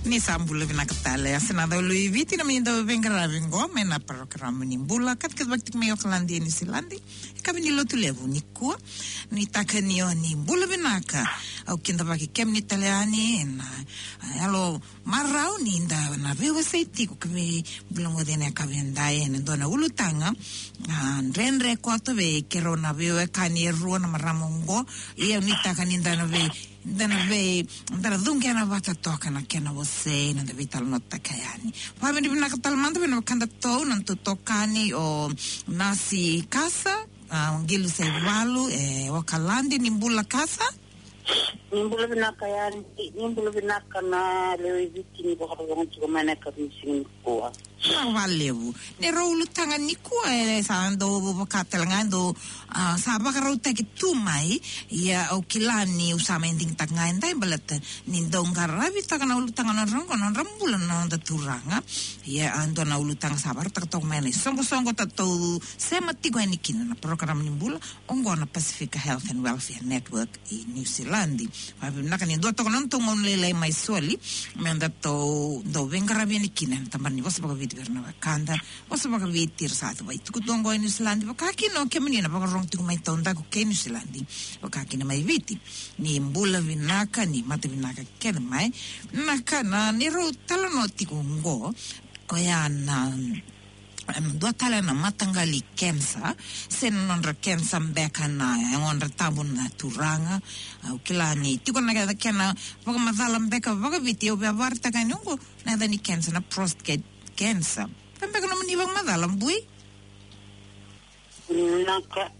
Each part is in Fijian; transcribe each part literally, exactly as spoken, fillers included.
Ni sa bula vinaka tale, a sa na dau lui Viti na mai dau veiqaravi qo mai na parokaramu ni bula, katikati vakatiki mai Okaladi e Niusiladi, e kavi ni Lotulevu nikua. Ni taka ni o ni bula vinaka, au kidavaki kemuni tale yani ena, a, yalo marau ni da na veiwasei tiko ka veivulogoci ena yakavi edai ena dua na ulutaga, a, dredre koto vei keirau na veiwekani e rua na marama oqo. Ia ni taka ni da na vei, da na vei, da na cuqena vata toka na kena wasei na da veitalanoataka yani. Vakavinavinaka tale mada vei na wekadatou na nodatou itokani o Nasi Kasa, a, Qilu Saivalu e Okaladi. Ni bula Kasa. Ni bula vinaka yani, ni bula vinaka na lewe i Viti ni vakarorogo tiko mai na yakavi ni siga nikua. Vinaka vakalevu. Ni rau ulutaga nikua e sa dau vaka tale ga dau, a, sa vakarautaki tu mai. Ia au kila ni au sa mai digitaka ga edai baleta ni dau qaravitaka na ulutaga na nodra qo, nodra bula na noda turaga. Ia a dua na ulutaga sa vakarautaka toka mai na isoqosoqo tatou sema tiko yani kina na parokaramu ni bula. Oqo na Pacific Health and Welfare Network i Niusiladi. Vakavinavinaka ni dua toka na nodatou gauna lailai mai soli me datou dau veiqaravi yani kina ena tabana ni vosa vakaviti vei ira na wekada vosa vakaviti era sa tuvai tukutuku oqo e Niusiladi, vaka kina o kemuni na vakarorogo tiko mai taudaku kei Niusiladi, vaka kina mai Viti. Ni bula vinaka, ni mata vinaka kece mai. Na ka na ni rau talanoa tiko oqo, koya na, em, dua tale na mataqali kensa, se na nodra kensa beka na yagodra tabu na turaga. Au kila ni tiko na kena, kena vakamacala beka vakaviti, au via vakaraitaka ni oqo na yaca ni kensa na prostate cancer. Ka beka nomuni vakamacala bui? Vinaka.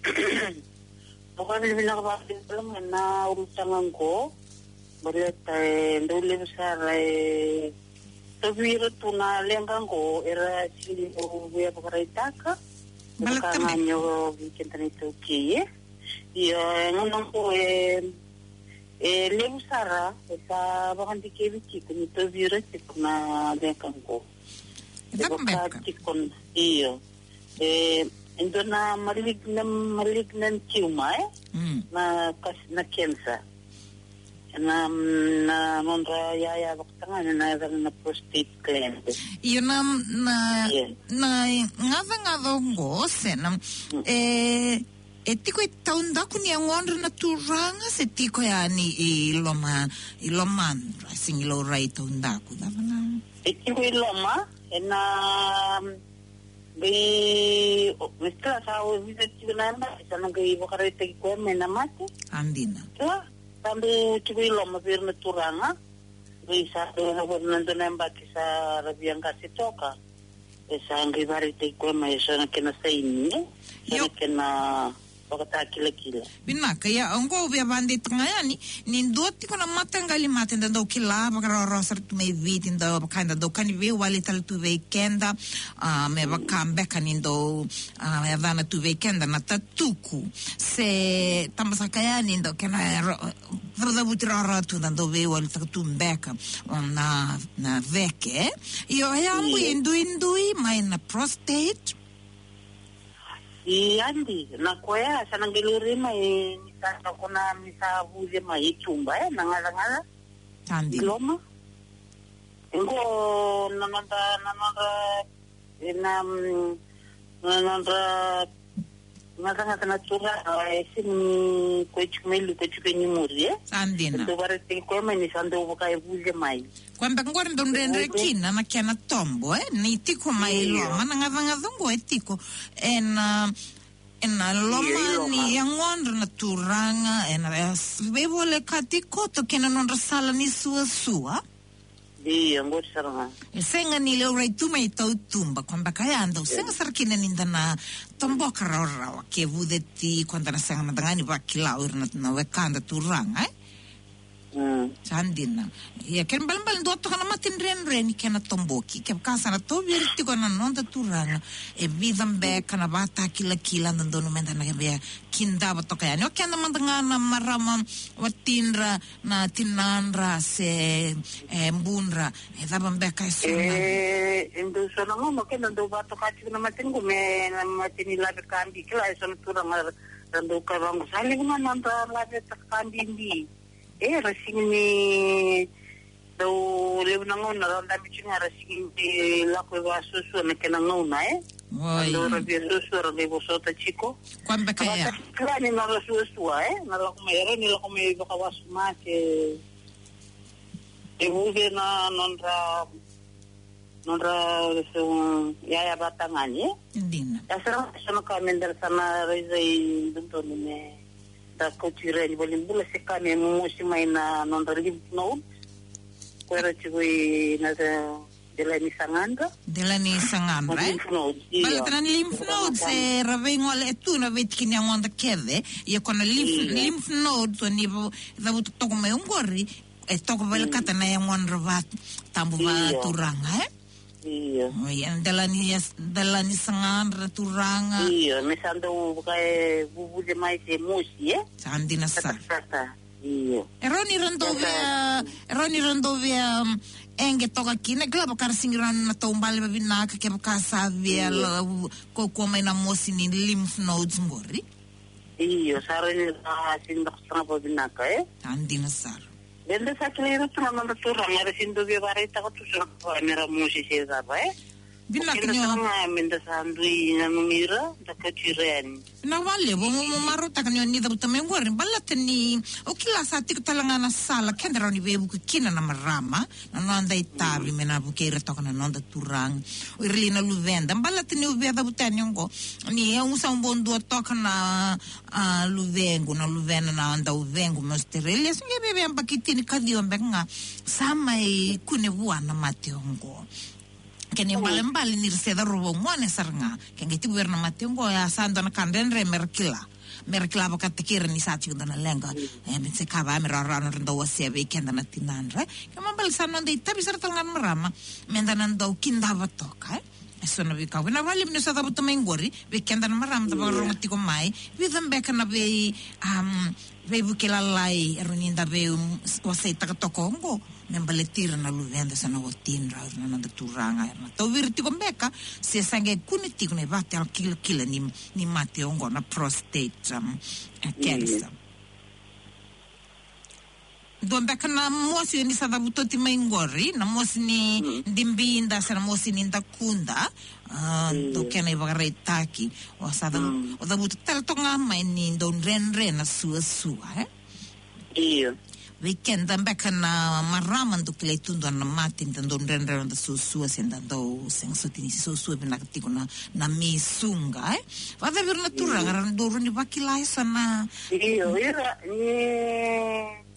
Au vakavinavinaka vakalevu na ulutaga oqo. Baleta e dau levu sara e tauvi ira tu na leqa oqo era sega ni dau via vakaraitaka. Baleta me vaka ga ni o vei keda na iTaukei, e. Io, e gauna oqo e, e levu sara e sa vakadikevi tiko ni tauvi ira tiko na leqa oqo. E cava beka? Tiko na, io. E, e dua na malignant, malignant tumor, e? Mm. Na kas-, na cancer. Na, na nodra yaya vakatagane na yacana na prostate gland. Io, na, na, io, na gacagaca oqo se na, mm, e, e tiko i taudaku ni yagodra na turaga se tiko yani i loma, i lomadra, sega ni laurai taudaku, cava na? E tiko i loma, ena, qai, o, me kila sa o vica tiko na yabaki, sa na qai vakaraitaki koya mai na mate. A dina. Kila, sa dau tiko i loma vei ira na turaga. Qai sa dau na dua na yabaki sa ra via qase toka. E sa qai vakaraitaki koya mai eso na kena saini, e? Eso na kena vakatakilakila. Vinaka, ia, oqo au via vakadeitaka ga yani, ni dua tiko na mataqali mate da dau kila, vakarawarawa sara tu mai Viti, da vaka da dau kani veiwali tale tu vei keda, a, me vaka beka ni dau, a, yacana tu vei keda na tatuku. Se tabasaka yani dau kena, e, ro-, cavucavuti rawarawa tu da dau veiwalitaka tu beka, o, na, na veke. Io, e a bui, io, e duidui mai na prostate. I adi, na koya, sa na qai laurai mai, ni sa na kona, ni sa vuce mai i tuba, e, na gacagaca. Sa dina. I loma. Oqo, na nodra, na nodra, e, na, mm, na nodra, na gacagaca na turaga, e, sega ni koya tiko mai liu, koya tiko i muri, e. Sa dina. Dau vakaraitaki koya mai ni sa dau vaka e vuce mai. Koya beka qori dau dredre kina na kena tobo, e? Ni tiko mai, io, loma, na gacagaca qo e tiko ena, ena loma, io, i loma ni yagodra na turaga, ena, e, veivolekati koto kei na nodra sala ni suasua. Io, qori sara ga. E sega ni laurai tu mai tautuba, koya beka ya dau, io, sega sara kina ni da na toboka rawarawa, ke vuce tiko da na sega mada ga ni vakila o ira na, na wekada turaga, e? Mm. Sa dina. Ia, kena ibalebale dua toka na mate dredre ni kena toboki. Kevaka sa na tauvi ira tiko na noda turaga, e vica beka na vakatakilakila da dodonu meda na via kidava toka yani. O keda mada ga na marama, watidra, na tinadra se, e, budra, e cava beka e so na. E, e dau so na gauna o keda dau vakatoka tiko na mate qo me na mate ni lave ka bibi, kila e so na turaga ra dau kaya vaqo, sa levu ga na nodra laveta ka bibi. E, ra sega ni, Dau levu na gauna ra dabe tiko ga ra sigi ni lako e vakasuasua na kena gauna, e? Oi. Dau ra via suasua ra qai vosota tiko. Koya beka ya. Vata kila ni nodra suasua, e? Na lako mai, era ni lako mai vakawasoma ke e vuce na nodra, nodra, um, yaya vata ga ni, e? Dina. Ya sara ga so na ka me da sa na raica i dodonu me da kauti ira yani valenibula se ka me momosi mai na nodra lymph node. Ko era tiko i na Delani sagadra. Delani sagadra, e? Lymph nodes, io. Baleta na lymph nodes, e, ra veigole e tu na veitiki ni yagoda kece. Ia ko na lymph, io, lymph nodes, o ni va-, cavuta toka mai oqori, e toka vei, mm, kata na yagodra va-, tabu, io, vakaturaga, e? Io. Oi, e, Delani, yes, Delani sagadra turaga. Io, me sa dau vaka e vuvuce mai se mosi, e? Sa dina sara. Kata, kata. Io. E rawa ni ra dau via, e rawa ni ra dau via, um, eqe toka kina, kila vaka ra sigi rawa ni na taubale vavinaka, kevaka sa via, io, la, u-, kaukaua mai na mosi ni lymph nodes qori. Io, sa rawa ni ra sigi dau saga vavinaka, e? Sa dina sara. Eda sa kilai ira tu na noda turaga, era sigi dau via vakaraitaka tu so na ka me ra mosi se cava, e? Vinaka ni o. Keda sara ga me da sa dui nanumi ira, da kauti ira yani. Vinaka vakalevu, mo, mo marautaka ni o ni cavuta mai oqori, baleta ni o kila sa tiko tale ga na sala keda rawa ni veivuke kina na marama, na noda itavi, mm, me na vukei ira toka na noda turaga. O ira li na luveda, baleta ni o via cavuta yani oqo. Ni au sa bau dua toka na, a, luvequ, na luvena na dauvequ mai Australia. Sa qai via, via yabaki tinikaciwa beka ga sa mai kune vua na mate oqo. Kena ibalebale ni ra se cauravou gone sara ga. Ke qai tiko vei ira na mate oqo, ya sa dua na ka dredre me ra kila. Me ra kila vakataki ira ni sa tiko dua na leqa. E, me se ka va me rawarawa nodra dau wasea vei keda na tinadra. Kena ibalebale sa noda itavi sara tale ga na marama. Me da na dau kidava toka, e? E so na veika. Vinaka vakalevu ni o sa cavuta mai qori. Vei keda na marama da, io, vakarorogo tiko mai. Vica beka na vei, um, veivuke lalai e rawa ni da vei, um, waseitaka toka oqo. Me baleti ira na luveda se na watidra, na noda turaga, era na tauvi ira tiko beka, se sa qai kune tiko na ivakatakilakila ni, ni mate oqo na prostate, um, e, cancer. Dua beka na mosi o ni sa cavuta oti mai qori, na mosi ni dibida se na mosi ni dakuda, a, dau kena ivakaraitaki, o sa cavu-, o cavuta tale toka ga mai ni dau dredre na suasua, e? Io. Vei keda beka na marama dau kilai tu dua na mate, da dau dredre na noda suasua, se da dau sega soti ni suasua vinaka tiko na, na mei suga, e? Vakacava vei ira na turaga, ra dau rawa ni vakila e so na. Io, ira, ni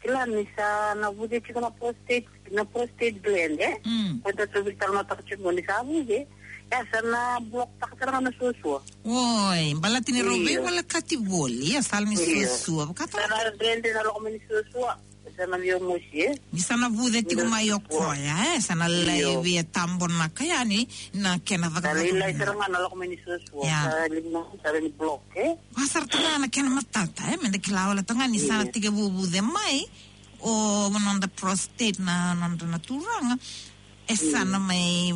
kila ni sa na vuce tiko na prostate, na prostate gland, e? Mm. Ko da tauvi tale na taka tiko ni sa vuce. Ya sa na block taka sara ga na suasua. Oi, baleta ni rau, io, veivolekati voli, ya sala ni, io, suasua. Vakatara. Sa na dredre na lako mai ni suasua. Sa na via mosi, e? Ni sa na vuce tiko mai o koya, e? Sa na lai, io, via tabonaka yani na kena cakacaka. Sa lai, lai sara ga na lako mai ni suasua. Ya. Sa lai na, sa lai ni block, e? Vakasara tale ga na kena matata, e? Me da kila wale toka ga ni sa na, io, tekivu vuce mai o noda prostate na nodra na turaga. E sa na mai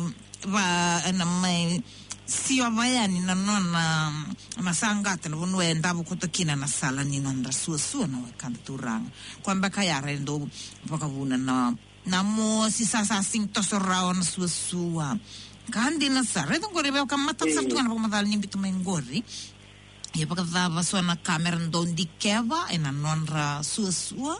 va, e na mai siova yani na nona, na saqata na vanua e davo koto kina na sala ni nodra suasua na wekada turaga. Koya beka ya e dau vakavuna na, na mosi sa, sa sega ni toso rawa na suasua. Ka dina sara. Raica qori, vaka matata sara tu ga na vakamacala ni biuta mai qori. Ia vakacava so na ka me ra dau dikeva e na nodra suasua?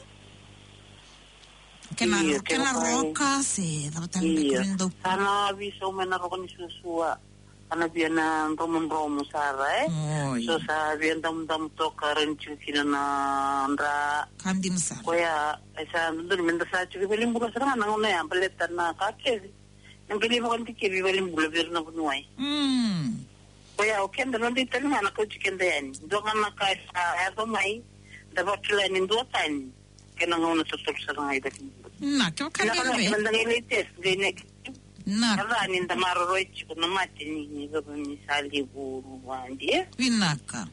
Kena, io, kena roka se cava tale, io, beka ni dau. Sa na veisau mai na roka ni suasua. Sa na via na dromodromo sara, e? Oi. So sa via damudamu toka, rawa ni tiko kina na dra. Ka dina sara. Koya e sa dodonu me da sa tiko valenibula sara ga na gauna ya, baleta na ka kece na qai lai vakadikevi valenibula vei ira na vuniwai. Mm. Koya o keda, noda itavi ga na kauti keda yani. Dua ga na ka e sa yaco mai, da vakila ni duatani. Kena gauna totolo sara ga i valenibula. Na, kevaka ni, na, kevaka ni da qai lai test, qai negative. Na. Ka ca ni da maroroi tiko na mate ni, ni, ni sa levu vua, e? Vinaka.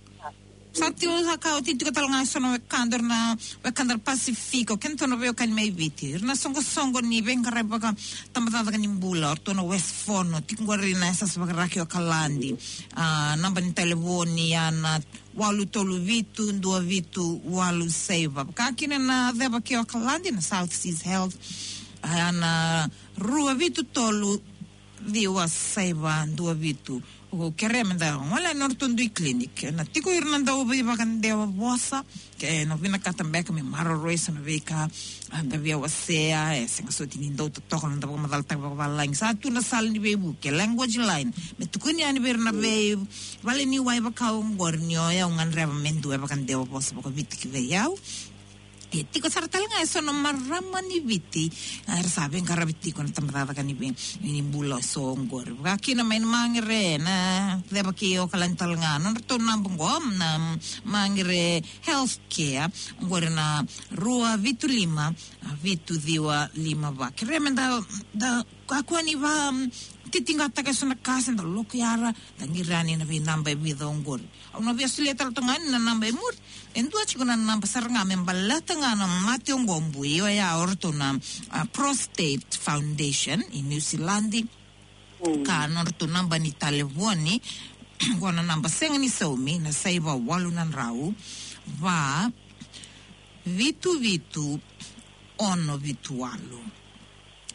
Sa tiko sa ka oti tiko tale ga eso na wekada, ira na wekada na Pasifika, kei na tou na veiwekani mai Viti. Ira na soqosoqo ni veiqaravi vakatabacakacaka ni bula, o ratou na West Fono, tiko qori na yasayasa vakaraki o Okaladi. A, naba ni talevoni ya na walu tolu vitu, dua vitu, walu saiva. Vaka kina na ceva kei Okaladi, na South Seas Health, a, na rua vitu tolu, ciwa saiva dua vitu. O kerea me da gole na nodratou dui clinic. Na tiko ira na dau veivakadewa vosa, ke na vinakata beka me maroroi eso na veika, a, da via wasea, e sega soti ni dau totoka na da vakamacalataka vakavalagi. Sa tu na sala ni veivuke, language line. Me tukuni yani vei ira na vei, vale ni wai vaka oqori ni o yau gadreva me dua e vakadewa vosa vakaviti ki vei au. E tiko sara tale ga eso na marama ni Viti, a, era sa veiqaravi tiko na tabacakacaka ni vei, ni bula eso oqori. Vaka kina mai na Magere, na ceva kei Okaladi tale ga. Nodratou naba oqo, na Magere Healthcare, oqori na rua vitu lima, a, vitu ciwa lima va. Kerea me da, da kakua ni va, mm, titiqataka eso na ka se da loko yara, da qiri yani na veinaba e vica oqori. Au na via solia tale toka ga yani na naba e muri. E dua tiko na naba sara ga me baleta ga na mate oqo, bui, oya o ratou na, a, Prostate Foundation i New Zealand. Mm. Ka nodratou naba ni talevoni, oqo na naba sega ni saumi, na saiva walu na drau, va, vitu vitu, ono vitu walu.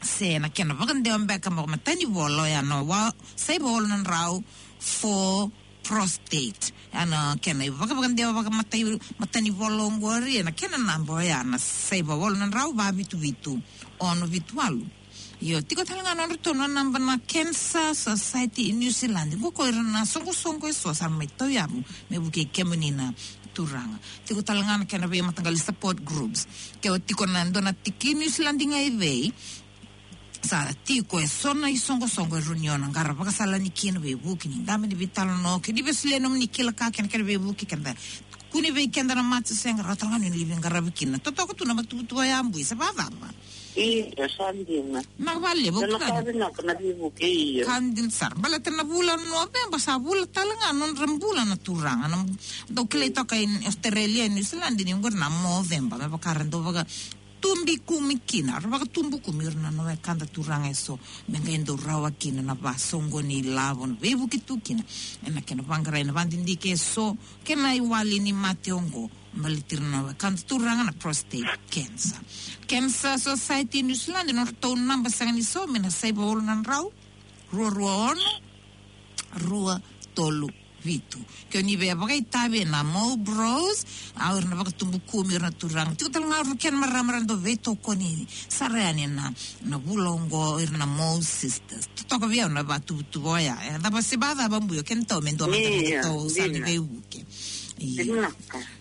Se na kena vakadewa beka mo matanivola, oya na wa, saiva walu na drau, for prostate. Oya na kena ivakavakadewa vakamatai, matanivola oqori, ena kena naba oya na saiva walu na drau, va vitu vitu, ono vitu walu. Io, tiko tale ga nodratou na naba na Cancer Society i New Zealand. Qo ko ira na soqosoqo eso sa mai tauyavu me vukei kemuni na turaga. Tiko tale ga na kena veimataqali support groups. Ke o tiko na dua na tiki New Zealand ga i vei, sa tiko eso na isoqosoqo e rawa ni o na qara vakasala ni kina, veivuke ni dabe ni veitalanoa, kei ni via solia nomuni kila ka kei na kena veivuke, keda kune vei keda na matasega, rawa tale ga ni o ni veiqaravi kina. Totoka tu na matuvatuva ya, bui, sa vakacava? Io, sa dina. Na vale, na ka vinaka na veivuke, io. Ka dina sara. Baleta na vula Noveba sa vula tale ga nodra bula na turaga. Na dau kilai toka i Australia, New Zealand, ni oqori na Movember. Me vaka ra dau vakatubu kumi kina, ra vakatubu kumi ira na wekada turaga eso, me qai dau rawa kina na vasoqoni ilavo, na veivuke tu kina ena kena vaqarai na vadidike eso kei na iwali ni mate oqo. Baleti ira na wekada turaga na prostate cancer. Cancer Society New Zealand, nodratou naba sega ni saumi, na saiva walu na drau, rua rua ono, rua tolu vitu. Ke o ni via vakaitavi ena Mo Bros, au ira na vakatubu kumi ira na turaga. Tiko tale ga ira na kena marama era dau veitokoni sara yani ena, na vula oqo, ira na Mo Sisters. Totoka vei au na vatuvatuva oya. E cava se vakacava, bui, o keda tou me dua mada na tou sala ni veivuke. Io.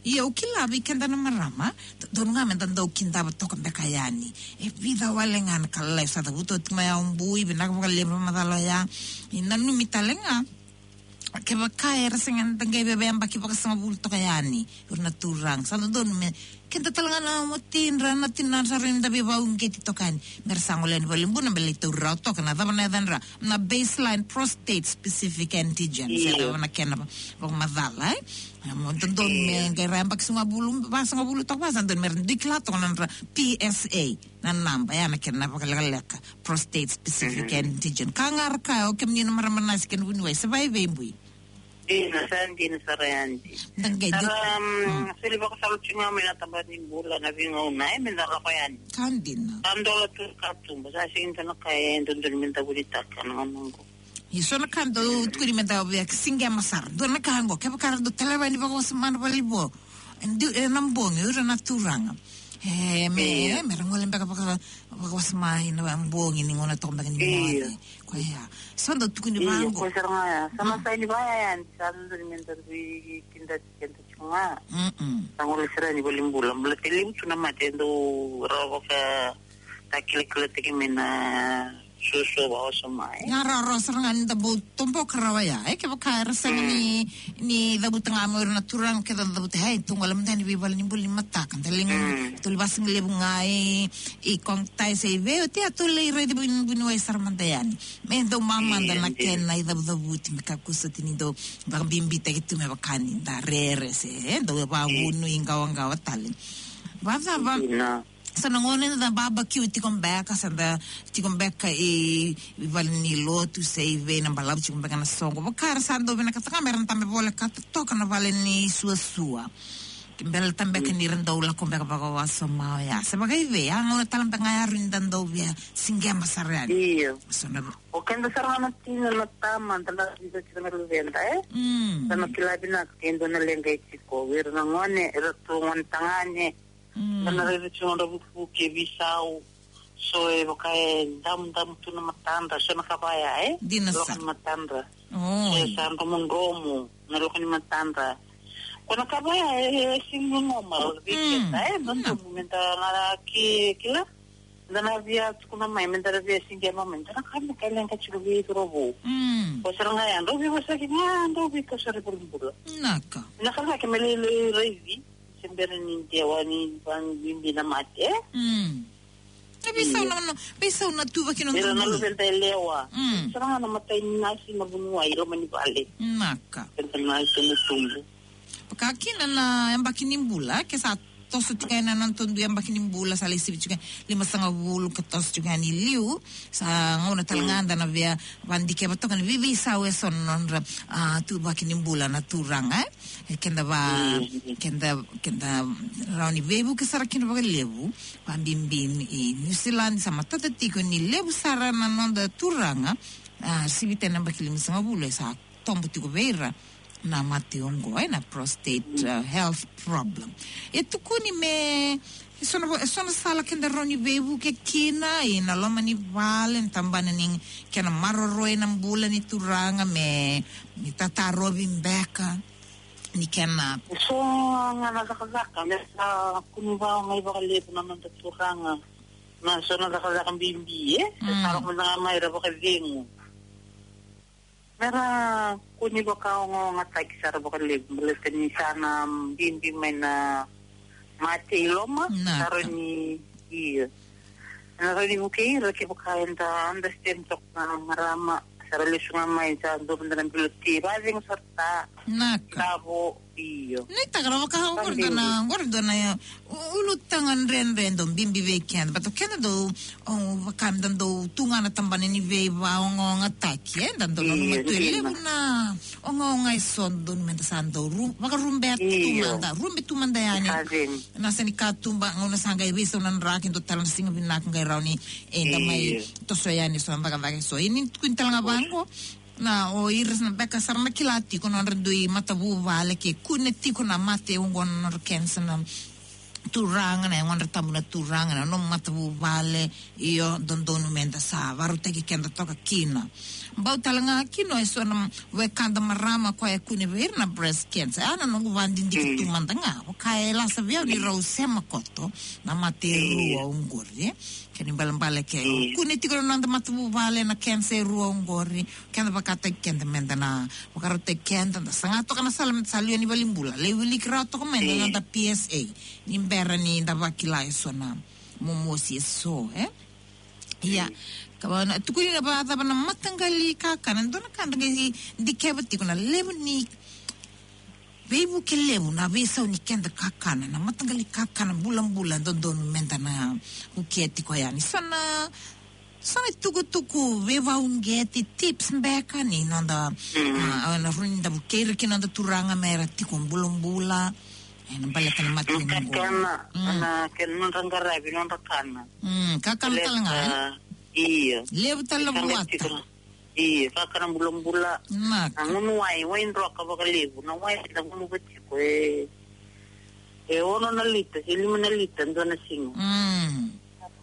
Io, au kila vei keda na marama, dodonu ga me da dau kidava toka beka yani. E vica wale ga na ka lalai sa cavuta oti mai, au bui, vinaka vakalevu na macala oya. E nanumi tale ga, kevaka era sega ni da qai via yabaki vakasagavulu toka yani, ira na turaga. Sa dodonu me keda tale ga na watidra, na tinadra, sa rawa ni da veivakauqeti toka yani. Me ra sa gole yani valenibula me lai tauri rawa toka na cava na yacadra, na baseline prostate specific antigen. Io. Sa cava na kena vakamacala, e? Mo dodonu me qai ra yabaki sagavulu, vasagavulu toka, va sa dodonu me ra dui kila toka na nodra P S A, na naba, ya na kena vakalekaleka, prostate specific antigen. Ka ga ra kaya, o kemuni na marama nasi kei na vuniwai, se vakaevei, bui? Dina, sa dina sara yani. Da qai sara, mm, soli vakasala tiko ga mai na tabana ni bula na veigauna, e, me da lako yani. Ka dina. Sa dola tu katuba, sa sega ni dua na ka e dodonu me da vunitaka na gauna oqo. Ia, so na ka dau tukuni me da via siqema sara. Dua na ka oqo, kevaka ra dau taleva yani vakawasoma na valenivo, e, na bogi, o ira na turaga, e, me, e, me ra gole beka vaka, vakawasoma ena bogi ni gauna toka beka ni moce. Koya. So dau tukuni vaqo. Koya sara ga ya. Sa na sa ni vaya yani, sa dodonu me da dui kidati keda tiko ga. Mm-mm. Sa gole sara yani valenibula. Baleta e levu tu na mate e dau rawa vakatakilakila tiko mai na suasua vakawasoma, e. Ia rawarawa sara ga ni da bau toboka rawa ya, e, kevaka era sega ni, ni cavuta ga mai o ira na turaga, ke da cavuta, e, tou gole mada yani vei vale ni bula ni mataka, da lai ga, tou lai vasigalevu ga i, i Kogtai se i vei, oti a tou lai raici vuniwai sara mada yani. Me dau mamada na kena icavucavuti, me kakua soti ni dau vakabibitaki tu me vaka ni da rere se, e, dau vavunu i qawaqawa tale. Vacava? Sa na gauna eda barbecue tiko beka, sa da tiko beka i, i vale ni lotu se i vei, na balavu tiko beka na soqo. Vaka era sa dau vinakata ga me ra na tabe volekata toka na vale ni suasua. Ke bera tabe beka ni ra dau lako beka vakawasoma oya. Se vakaivei, a gauna tale beka ga ya ni da dau via siqema sara yani. Io. So na, o keda sara ga na tina na tama, da na vica tiko na luveda, e? Mm. Sa na kila vinaka ke dua na leqa e tiko. Vei ira na gone, ira tu gone tagane. Mm. Da na raica tiko na nodra vukevuke, veisau. So e vaka e damudamu tu na matadra, so na ka vaya, e? Dina sa. Lako ni matadra. Oi. So e sa dromodromo na lako ni matadra. Ko na ka vaya e, e sega ni normal vei keda, e? Mm. Dodonu me da na ki-, kila. Da na via tukuna mai, me da na via siqema mai, da na ka me ka leqa tiko vei cauravou. Mm. Ko sara ga ya, drau veivosaki ga, drau veikau sara i valenibula. Naka. Na ka ga ke me lai, lai raici. Se bera ni dewa ni vakabibi na mate, e? Mm. E veisau na, na, veisau na tuvaki na, ira na dodonu. Luveda yalewa. Mm. Sara ga na matai ni nasi na vuniwai i loma ni vale. Naka. Keda na itubutubu. Vaka kina na yabaki ni bula, ke sa toso tiko yani na noda dui yabaki ni bula, sa lai sivi tiko yani limasagavulu ka toso tiko yani i liu, sa gauna tale ga da na via vakadikeva toka ni veiveisau eso na nodra, a, tuvaki ni bula na turaga, e? E keda va, mm, keda, keda rawa ni veivuke sara kina vakalevu, vakabibi i New Zealand, sa matata tiko ni levu sara na noda turaga, a, sivi tale na yabaki limasagavulu, e sa tobo tiko vei ira na mate oqo, e, na prostate, a, health problem. E tukuni me, e so na vo-, e so na sala keda rawa ni veivuke kina, e na loma ni vale, na tabana ni kena maroroi na bula ni turaga, me, me tatarovi beka. Ni kena. So ga na cakacaka, me sa kunu vakaogai vakalevu na noda turaga. Na so na cakacaka bibi, e? Mm. Sa lako mada ga mai ra vakacegu. Me ra kua ni vakaogaogataki sara vakalevu, baleta ni sa na bibi mai na mate i loma, na sara ni, io. Na rawa ni vukei ira kevaka eda understand toka na marama, sa ra lesu ga mai, sa dua mada na bilo ti, vakacegu sara ta. Naka. Tavo, io. Ni taka ra vaka, oqori dua na, oqori dua na, u-, ulutaga dredre dau bibi vei keda. But o keda dau, o, vaka me da dau tu ga na tabana ni veivakaogaogataki, e, da dau nanuma tu e levu na ogaoga eso dodonu me da sa dau ru-, vakarube tu mada, rube tu mada yani. Na sa ni katuba, gauna sa qai veisau na draki, dua tale na siga vinaka qai rawa ni, e, da mai toso yani eso na cakacaka eso. Ia ni tukuni tale ga vaqo, na o ira sa na beka sara na kila tiko na nodra dui matavuvale ke kune tiko na mate oqo na nodra cancer na turaga, na yagodra tabu na turaga, na nomu matavuvale, io, dodonu me da sa varautaki keda toka kina. Bau tale ga kina eso na wekada marama koya e kune vei ira na breast cancer. A na noqu vakadidike tu mada ga, vaka e lasa vei au ni rau sema koto na mate e rua oqori, e? Kena ibalebale ke kune tiko na noda matavuvale na cancer e rua oqori, keda vakataki keda me da na vakarautaki keda, da saga toka na sala me da sa liwa ni valenibula, lai wiliki rawa toka mai na noda P S A ni bera ni da vakila eso na momosi eso, e? Ia, ka vaka na tukuni na vakacava na mataqali kakana, dua na ka da qai dikeva tiko na levu ni veivuke levu na veisau ni keda kakana, na mataqali kakana bulabula dodonu me da na vukea tiko yani. So na, so na itukutuku veivakauqeti, tips beka ni noda, a, na rawa ni da vukei ira kina noda turaga me ra tiko bulabula, e, na baleta na mate ni oqo. Kakana, na kena nodra qaravi, nodra kana. Mm, kakana tale ga, e? Io. Levu tale na vuata. Io, kakana bulabula. Na gunu wai, wai droka vakalevu. Na wai da gunuva tiko e, e ono na lita se lima na lita dua na siga. Mm.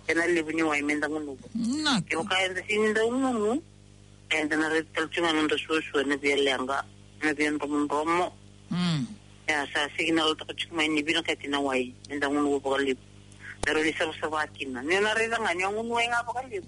Kena levu ni wai me da gunuva. Kevaka eda sega ni da gunu, eda na raica tale tiko ga na noda suasua, na via leqa, na via dromodromo. Mm. Ia, sa signal toka tiko mai ni vinakati na wai me da gunuva vakalevu. Me rawa ni savasava kina. Ni o na raica ga ni o gunu wai ga vakalevu,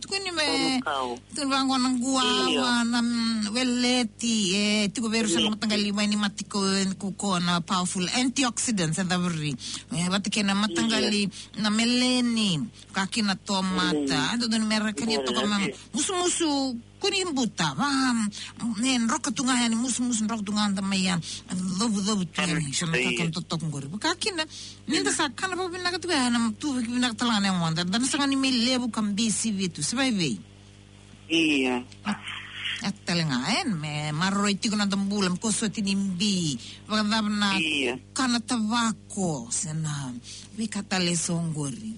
tukuni me, tukuni vaqo na guava, na, mm, weleti, e, tiko vei ira sa na mataqali mai ni mate ko, ko, ko na powerful antioxidants, e caviri. E, vata kei na mataqali, na meleni, ka kina tomata. A, dodonu me ra kania toka me musumusu, ko ni buta, va, me droka tu ga yani, musumusu droka tu ga da mai ya. Covucovu tu yani, sa na kakana totoka qori. Vaka kina, ni da sa kana vakavinaka tu ga, na tu vakavinaka tale ga na moda. Da na saga ni me levu ka bisi vitu, se vaivei. Ia. A tale ga, e, me maroroi tiko na noda bula, me ko soti ni bi, vakacava na kana tavako, se na veika tale eso qori.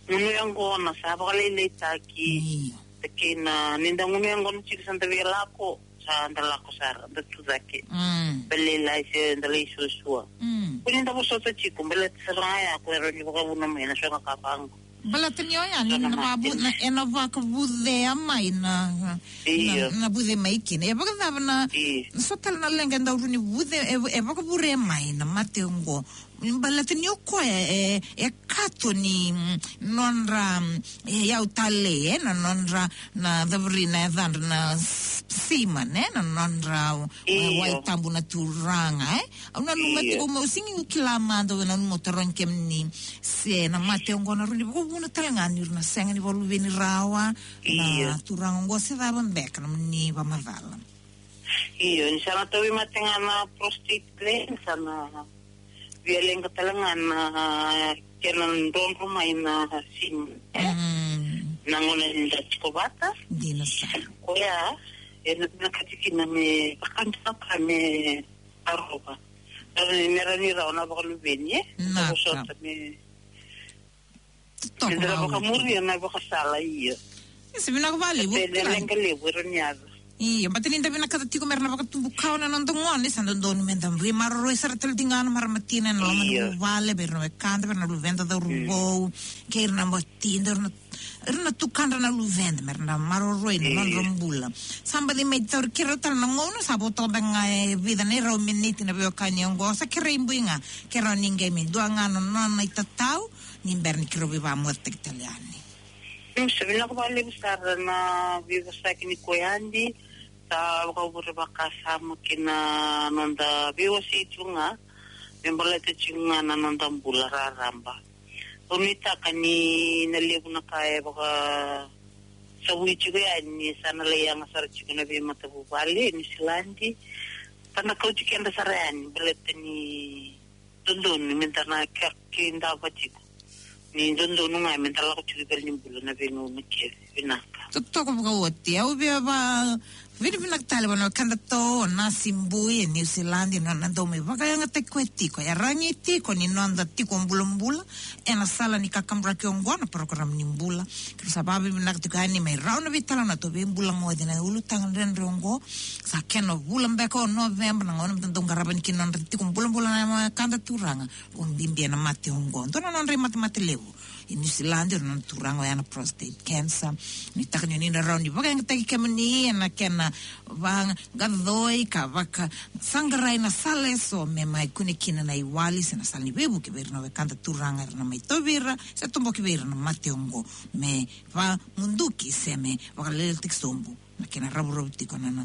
Gunu yaqona, sa vakalailaitaki. Ia. Kei na, ni da gunu yaqona tiko sa da via lako, sa da lako sara, da tu cake. Mm. Baleta lai se, da lai suasua. Mm. Ko ni da vosota tiko, baleta sara ga ya, ko era ni vakavuna mai, na so ga ka vaqo. Baleta ni oya, ni na vakavu-, na, e na vakavucea mai na, na, na vuce mai kina. E vakacava na, na so tale na leqa e dau rui ni vuce, e, e vakavure mai na mate oqo. Baleta ni o koya e, e kato ni, mm, nodra, mm, e, yau tale, e, na nodra, na caviri na yacadra na s-, semen, e, na nodra, e, wai tabu na turaga, e. Au nanuma tiko meu sega ni kila mada, au nanuma tarogi kemuni se na mate oqo na rui ni vakavuna tale ga ni ra na sega ni vakaluveni rawa na turaga oqo se cava beka na nomuni vakamacala. Io, ni sa na tauvimate ga na prostate gland, sa na via leqa tale ga na kena drodro mai na semen, e? Mm. Na gauna ni da tiko vata. Dina sara. Koya, e na, na vinakati kina me vakadua ka me tarova. Rawa ni, me rawa ni rawa na vakaluveni, e? Na, vosota me Totoka. Ni da vakamuria na ivakasala, ia. Ia, se vinaka vakalevu. Kei na leqa levu era ni yaco. Ia, baleta ni da vinakata tiko me ra na vakatubu kawa na noda gone, sa dodonu me da veimaroroi sara tale tiko ga na marama tina ena loma ni vuvale, vei ira na wekada, vei ira na luveda cauravou, kei ira na matida, ira na, ira na tukadra na luveda, me ra na maroroi na nodra bula. Sa baci mai tauri keirau tale na gauna, sa vo toka beka ga e vica na irau miniti na veiwekani oqo, sa kerei Bui ga, keirau ni qai me dua ga na nona itatau, ni bera ni keirau veivakamotetaki tale yani. Mm, sa vinaka vakalevu sara na veivosaki ni koya, Adi, sa vakavure vakasama ki na noda veiwasei tu ga, me baleta tiko ga na noda bula raraba. Au nuitaka ni na levu na ka e vakasavui tiko yani, sa na lai yaga sara tiko na veimatavuvale e Niusiladi. Sa na kauti keda sara yani, baleta ni dodonu me da na ke-, kidava tiko. Ni dodonu ga me da lako tiko i valenibula na veigauna kece. Vinaka. Totoka vakaoti. Au via vakavinavinaka tale vua na wekadatou o Nasi Bui e Niusiladi, na nona dau mai vakayagataki koya tiko. E ragi tiko ni noda tiko bulabula ena sala ni kakaburaki oqo na parokaramu ni bula. Keirau sa vakavinavinaka tiko yani mai rau na veitalanoa, tou veibulagoci na ulutaga dredre oqo. Sa kena vula beka o Noveba, na gauna me da dau qarava yani kina na nodra tiko bulabula na wekada turaga. O bibi ena mate oqo. Dua na nodra imatemate levu e Niusiladi, o ira na turaga oya na prostate cancer. Nuitaka ni o ni na rawa ni vakayagataki kemuni ena kena vakaqaqacoi ka vakasaqarai na sala eso me mai kune kina na iwali se na sala ni veivuke vei ira na wekada turaga era na mai tauvi ira se toboki vei ira na mate oqo, me vamuduki se me vakalailaitaki sobu na kena ravuravu tiko na, na,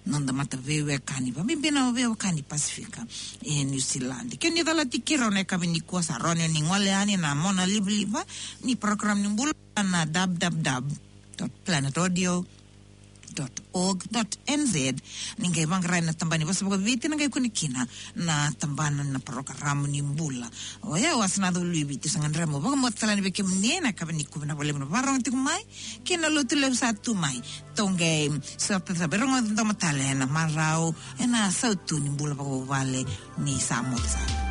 noda mataveiwekani, vakabibi na veiwekani Pasifika e Niusiladi. Ke ni calati keirau na yakavi nikua, sa rawa ni o ni gole yani na monalivaliva ni parokaramu ni bula na w w w dot planet audio dot org dot n z. Ni qai vaqarai na tabana ni vosa vakaviti, na qai kune kina na tabana na parokaramu ni bula. Oya au Asa Nacauluivitu, sa gadreva meu vakamoce tale yani vei kemuni ena yakavi nikua. Vinaka vakalevu na vakarorogo tiko mai kei na Lotulevu sa tu mai. Tou qai sota sa veirogoci domo tale ena marau ena sautu ni bula vakavuvale. Ni sa moce sara.